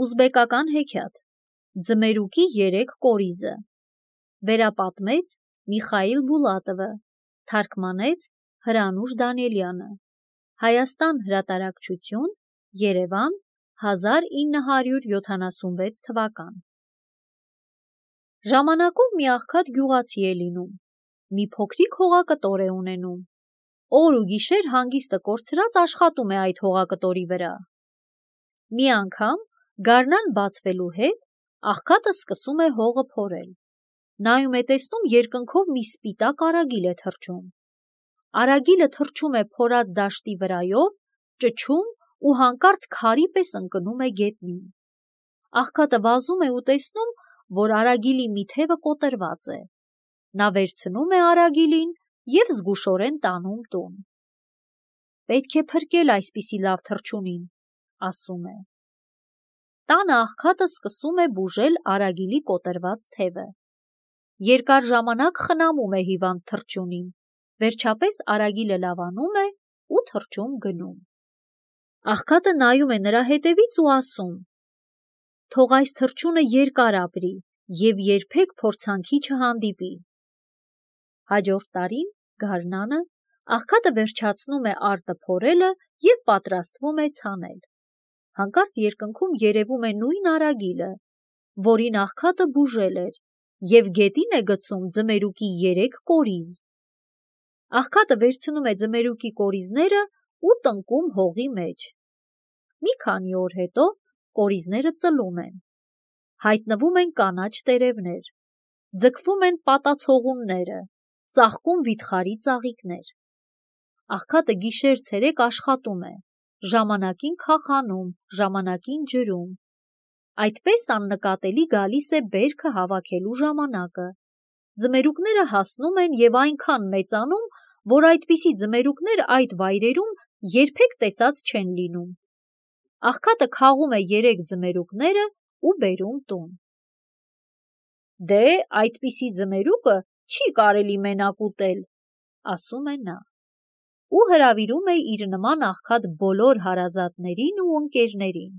Ուզբեկական հեքիաթ Ձմերուկի 3 կորիզը Վերապատմեց Միխայիլ Բուլատովը, թարգմանեց Հրանուշ Դանիելյանը, Հայաստան հրատարակչություն, Երևան, 1976 թվական։ Ժամանակով մի աղքատ գյուղացի է լինում, մի փոքրիկ հողակտոր է ունենում, օր ու գիշեր հանգիստը կորցրած աշխատում է այդ հողակտորի վրա։ Մի անգամ գարնան բացվելու հետ աղքատը սկսում է հողը փորել, նայում է տեսնում երկնքով մի սպիտակ արագիլ է թռչում, արագիլը թռչում է փորած դաշտի վրայով, ճչում ու հանկարծ քարի պես ընկնում է գետնին, աղքատը վազում է ու տեսնում, որ արագիլի մի թևը կոտրված է, նա վերցնում է արագիլին և զգուշորեն տանում տուն։ Պետք է փրկել այսպիսի լավ թռչունին, ասում է։ Տանը աղքատը սկսում է բուժել արագիլի կոտրված թևը, երկար ժամանակ խնամում է հիվանդ թռչունին, վերջապես արագիլը լավանում է ու թռչուն գնում։ Աղքատը նայում է նրա հետևից ու ասում. թող այս թռչունը երկար ապրի և երբեք փորձանքի չհանդիպի։ Հաջորդ տարին գարնանը աղքատը վերջացնում է արտը փորելը և պատրաստվում է ցանել։ Հանկարծ երկնքում երևում է նույն արագիլը, որին աղքատը բուժել էր, և գետին է գցում ձմերուկի 3 կորիզ։ Աղքատը վերցնում է ձմերուկի կորիզները ու տնկում հողի մեջ։ Մի քանի օր հետո կորիզները ծլում են, հայտնվում են կանաչ տերևներ, ձգվում են պատացողունները, ծաղկում վիթխարի ծաղիկներ։ Աղքատը գիշեր-ցերեկ աշխատում է, ժամանակին քաղանում, ժամանակին ջրում։ Այդպես աննկատելի գալիս է բերքը հավաքելու ժամանակը։ Ձմերուկները հասնում են և այնքան մեծանում, որ այդպիսի ձմերուկներ այդ վայրերում երբեք տեսած չեն լինում։ Աղքատը քաղում է 3 ձմերուկները ու բերում տուն։ Դե, այդպիսի ձմերուկը չի կարելի մենակ ուտել, ասում է նա, ու հրավիրում է իր նման աղքատ բոլոր հարազատներին ու ընկերներին։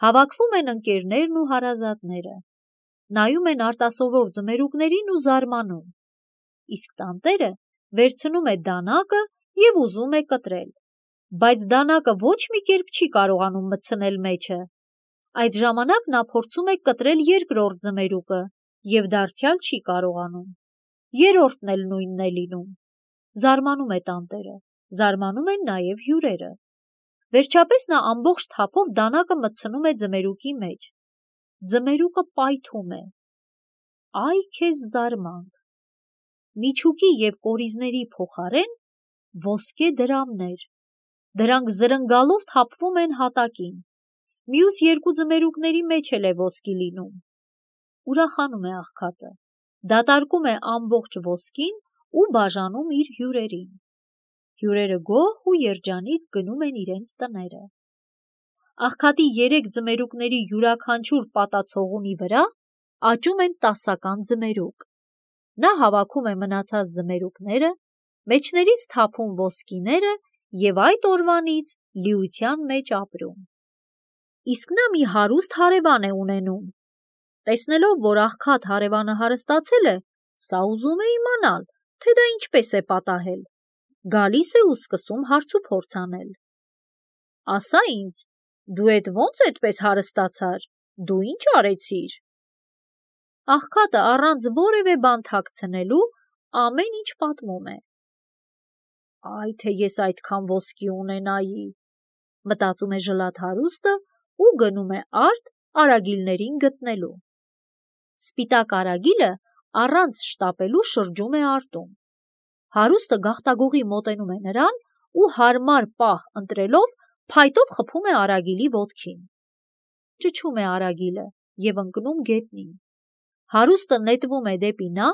Հավաքվում են ընկերներն ու հարազատները, նայում են արտասովոր ձմերուկներին ու զարմանում, իսկ տանտերը վերցնում է դանակը և ուզում է կտրել, բայց դանակը ոչ մի կերպ չի կարողանում մտցնել մեջը։ Այդ ժամանակ նա փորձում է կտրել երկրորդ ձմերուկը և դարձյալ չի կարողանում, երրորդն էլ նույնն է լինում։ Զարմանում է տանտերը, զարմանում են նաև հյուրերը։ Վերջապես նա ամբողջ թափով դանակը մտցնում է ձմերուկի մեջ։ Ձմերուկը պայթում է։ Այ քեզ զարմանք։ Միջուկի և կորիզների փոխարեն ոսկե դրամներ, դրանք զրնգալով թափվում են հատակին, մյուս 2 ձմերուկների մեջ էլ է ոսկի լինում։ Ուրախանում է աղքատը, դատարկում է ամբողջ ոսկին ու բաժանում իր հյուրերին։ Հյուրերը գոհ ու երջանիկ գնում են իրենց տները։ Աղքատի 3 ձմերուկների յուրաքանչյուր պատացողունի վրա աճում են 10-ական ձմերուկ։ Նա հավաքում է մնացած ձմերուկները, մեջներից թափում ոսկիները և այդ օրվանից լիության մեջ ապրում։ Իսկ նա մի հարուստ հարևան է ունենում։ Տեսնելով, որ աղքատ հարևանը հարստացել է, սա ուզում է իմանալ, թե դա ինչպես է պատահել։ Գալիս է ու սկսում հարցուփորձ անել։ Ասա ինձ, դու էդ ոնց էդպես հարստացար, դու ինչ արեցիր։ Աղքատը առանց որևէ բան թաքցնելու ամեն ինչ պատմում է։ Այ թե ես այդքան ոսկի ունենայի, մտածում է ժլատ հարուստը ու գնում է արտ արագիլներին գտնելու։ Սպիտակ արագիլը առանց շտապելու շրջում է արտում։ Հարուստը գաղտագողի մոտենում է նրան ու հարմար պահ ընտրելով փայտով խփում է արագիլի ոտքին։ Ճչում է արագիլը և ընկնում գետնին։ Հարուստը նետվում է դեպի նա,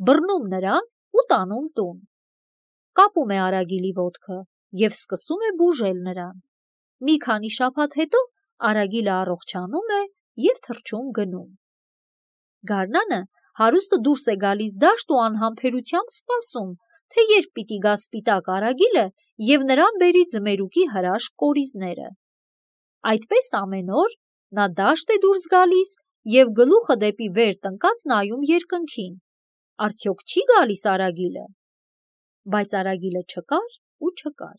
բռնում նրան ու տանում տուն։ Կապում է արագիլի ոտքը և սկսում է բուժել նրան։ Մի քանի շաբաթ հետո արագիլը առողջանում է և թռչուն գնում։ Գարնանը հարուստը դուրս է գալիս դաշտ ու անհամբերությամբ սպասում, թե երբ պիտի գա սպիտակ արագիլը և նրան բերի ձմերուկի հրաշք կորիզները։ Այդպես ամեն օր Նա դաշտ է դուրս գալիս և գլուխը դեպի վեր տնկած նայում երկնքին. արդյոք չի գալիս Արագիլը։ Բայց Արագիլը չկար ու չկար։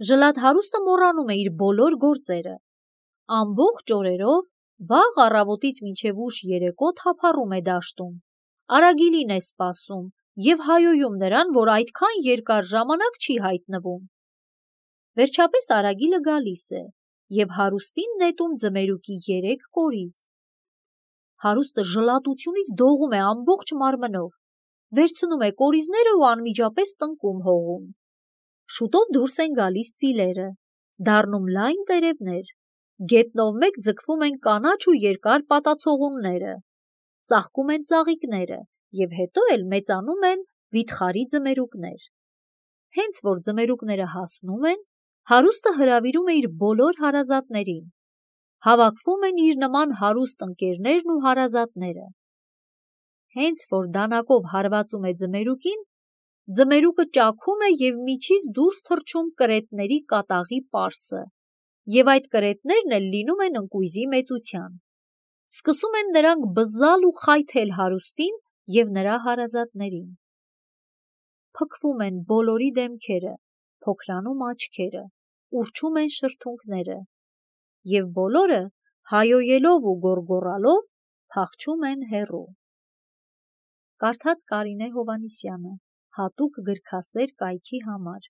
Ժլատ հարուստը մոռանում է իր բոլոր գործերը։ Ամբողջ օրերով, վաղ առավոտից մինչև ուշ երեկո թափառում է դաշտում, Արագիլին է սպասում և հայոյում նրան, որ այդքան երկար ժամանակ չի հայտնվում։ Վերջապես Արագիլը գալիս է և հարուստին նետում ձմերուկի 3 կորիզ։ Հարուստը ժլատությունից դողում է ամբողջ մարմնով, վերցնում է կորիզները ու անմիջապես տնկում հողում։ Շուտով դուրս են գալիս ծիլերը, դառնում լայն տերևներ, գետնով մեկ ձգվում են կանաչ ու երկար պատացողունները, ծաղկում են ծաղիկները և հետո էլ մեծանում են վիթխարի ձմերուկներ։ Հենց որ ձմերուկները հասնում են, հարուստը հրավիրում է իր բոլոր հարազատներին։ Հավաքվում են իր նման հարուստ ընկերներն ու հարազատները։ Հենց որ դանակով հարվածում է ձմերուկին, ձմերուկը ճաքում է և միջից դուրս թռչում կրետների կատաղի պարսը, և այդ կրետներն էլ լինում են ընկույզի մեծության։ Սկսում են նրանք բզալ ու խայթել հարուստին և նրա հարազատներին։ Փքվում են բոլորի դեմքերը, փոքրանում աչքերը, ուռչում են շրթունքները, և բոլորը հայոյելով ու գոռգոռալով փախչում են հեռու։ Կարդաց Կարինե Հովհաննիսյանը, հատուկ գրքասեր կայքի համար։